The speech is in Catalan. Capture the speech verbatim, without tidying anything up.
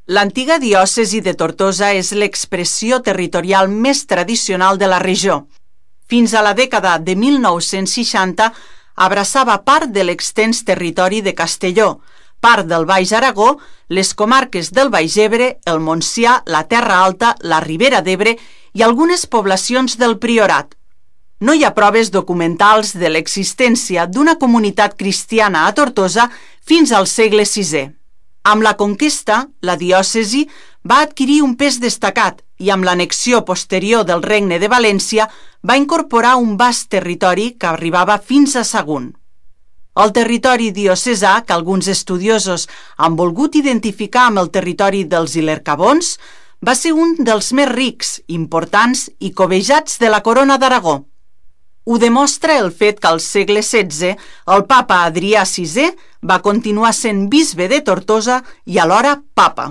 L'antiga diòcesi de Tortosa és l'expressió territorial més tradicional de la regió. Fins a la dècada de mil nou-cents seixanta abraçava part de l'extens territori de Castelló, part del Baix Aragó, les comarques del Baix Ebre, el Montsià, la Terra Alta, la Ribera d'Ebre i algunes poblacions del Priorat. No hi ha proves documentals de l'existència d'una comunitat cristiana a Tortosa fins al segle sisè. Amb la conquesta, la diòcesi va adquirir un pes destacat i amb l'annexió posterior del Regne de València va incorporar un vast territori que arribava fins a Sagunt. El territori diocesà, que alguns estudiosos han volgut identificar amb el territori dels Ilercabons, va ser un dels més rics, importants i cobejats de la Corona d'Aragó. Ho demostra el fet que al segle setze el papa Adrià sisè va continuar sent bisbe de Tortosa i alhora papa.